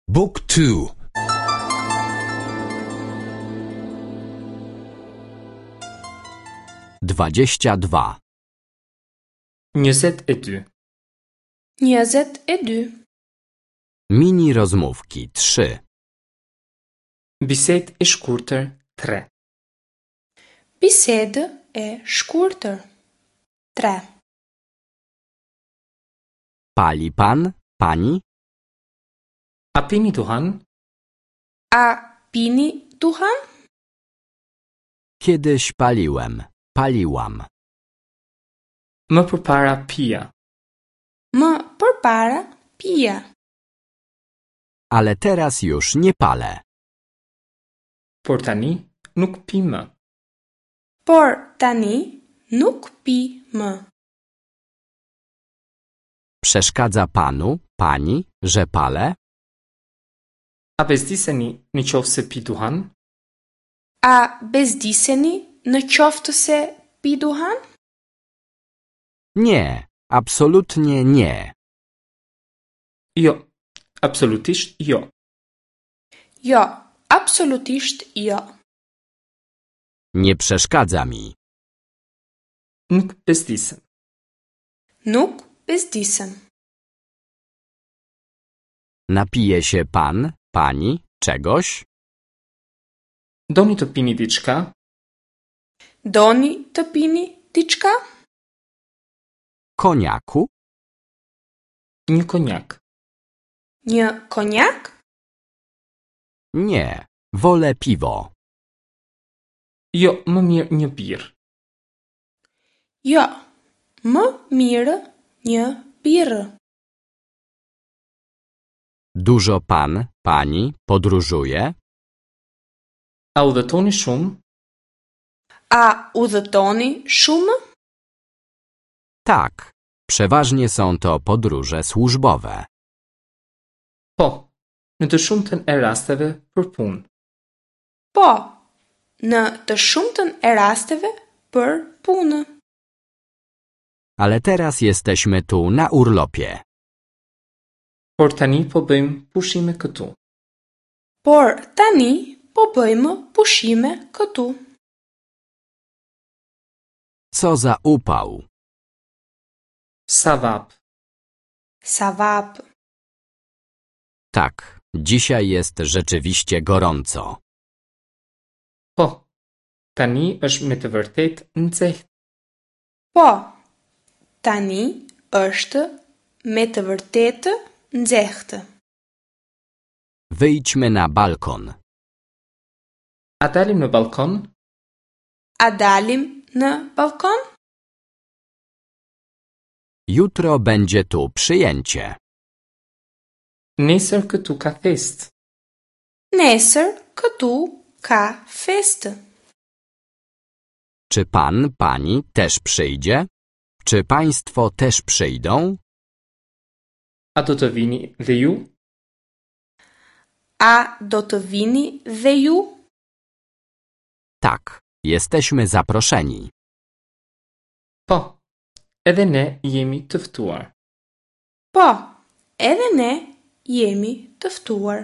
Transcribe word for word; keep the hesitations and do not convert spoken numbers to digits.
Book two. Dwadzieścia dwa. Njëzet e dy. Njëzet e dy. Mini rozmówki trzy. Bisedë e shkurtër tre. Bisedë e shkurtër. Tre. Pali pan, pani? A pini duhan? A pini duhan? Kiedyś paliłem, paliłam. Më përpara pija. Më përpara pija. Ale teraz już nie palę. Por tani nuk pi më. Por tani nuk pi më. Przeszkadza panu, pani, że palę? A bezdiseni në qoftë se pi duhan? A bezdiseni në qoftë se pi duhan? Nie, absolutnie nie. Jo, absolutisht jo. Jo, absolutisht jo. Nie przeszkadza mi. Nuk bezdisem. Nuk bezdisem. Napije się pan, pani, czegoś? Doni të pini diçka? Doni të pini diçka? Koniaku? Një konjak. Një konjak? Nie, wolę piwo. Jo, më mirë një birrë. Jo, më mirë një birrë. Dużo pan, pani podróżuje? A udhëtoni shumë? A udhëtoni shumë? Tak, przeważnie są to podróże służbowe. Po, në të shumtën e rasteve për punë. Po, në të shumtën e rasteve për punë. Ale teraz jesteśmy tu na urlopie. Por tani po bëjmë pushime këtu. Por tani po bëjmë pushime këtu. Co za upał! Sa vap. Sa vap. Tak, dzisiaj jest rzeczywiście gorąco. Po, tani është me të vërtetë nxehtë. Po, tani është me të vërtetë nxehtë. Wyjdźmy na balkon. A dalim në balkon? A dalim në balkon? Jutro będzie tu przyjęcie. Nesër këtu ka festë. Nesër këtu ka festë. Czy pan, pani też przyjdzie? Czy państwo też przyjdą? A do të vini dhe ju? A do të vini dhe ju? Tak, jesteśmy zaproszeni. Po, edhe ne jemi të ftuar. Po, edhe ne jemi të ftuar.